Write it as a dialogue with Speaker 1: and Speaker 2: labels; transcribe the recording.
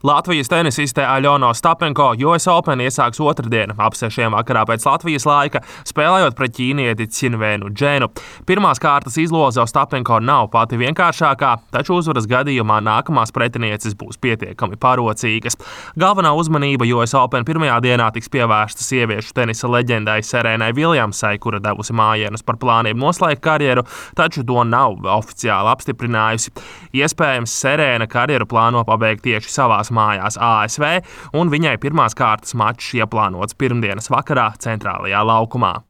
Speaker 1: Latvijas tenisiste Aļona Ostapenko US Open iesāks otrdien ap 6 vakarā pēc Latvijas laika, spēlējot pret ķīnieti Cinvenu Dženu. Pirmās kārtas izloze Ostapenko nav pati vienkāršākā, taču uzvaras gadījumā nākamās pretinieces būs pietiekami parocīgas. Galvenā uzmanība US Open pirmajā dienā tiks pievērsta sieviešu tenisa leģendai Serēnai Viljamsai, kura devusi mājienus par plāniem noslēgt karjeru, taču to nav oficiāli apstiprinājusi. Iespējams, Serēna karjeru plāno pabeigt tieši savās mājās ASV, un viņai pirmās kārtas mačs ieplānots pirmdienas vakarā Centrālajā laukumā.